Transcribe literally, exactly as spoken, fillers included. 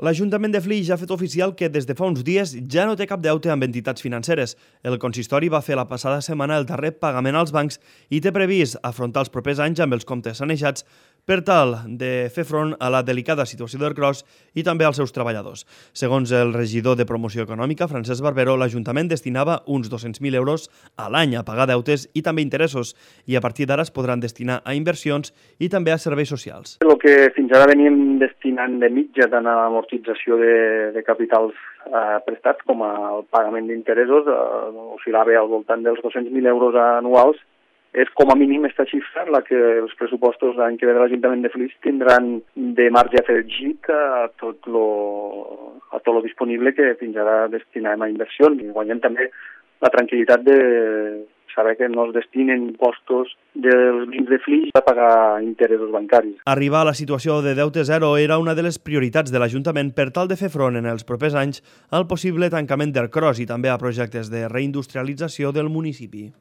L'Ajuntament de Flix ja ha fet oficial que des de fa uns dies ja no té cap deute amb entitats financeres. El consistori va fer la passada setmana el darrer pagament als bancs i té previst afrontar els propers anys amb els comptes sanejats per tal de fer front a la delicada situació del Cros i també als seus treballadors. Segons el regidor de Promoció Econòmica, Francesc Barbero, l'Ajuntament destinava uns dos-cents mil euros a l'any a pagar deutes i també interessos, i a partir d'ara es podran destinar a inversions i també a serveis socials. El que fins ara veníem destinant de mitja tant a l'amortització de, de capitals eh, prestats com al pagament d'interessos eh, oscil·lava al voltant dels dos-cents mil euros anuals. És com a mínim aquesta xifra la que els pressupostos l'any que ve de l'Ajuntament de Flix tindran de marge afegit a tot lo, a tot lo disponible que fins ara destinàvem a inversions. I guanyem també la tranquil·litat de saber que no es destinen impostos dels vins de Flix a pagar interessos bancaris. Arribar a la situació de deute zero era una de les prioritats de l'Ajuntament per tal de fer front en els propers anys al possible tancament del Cros i també a projectes de reindustrialització del municipi.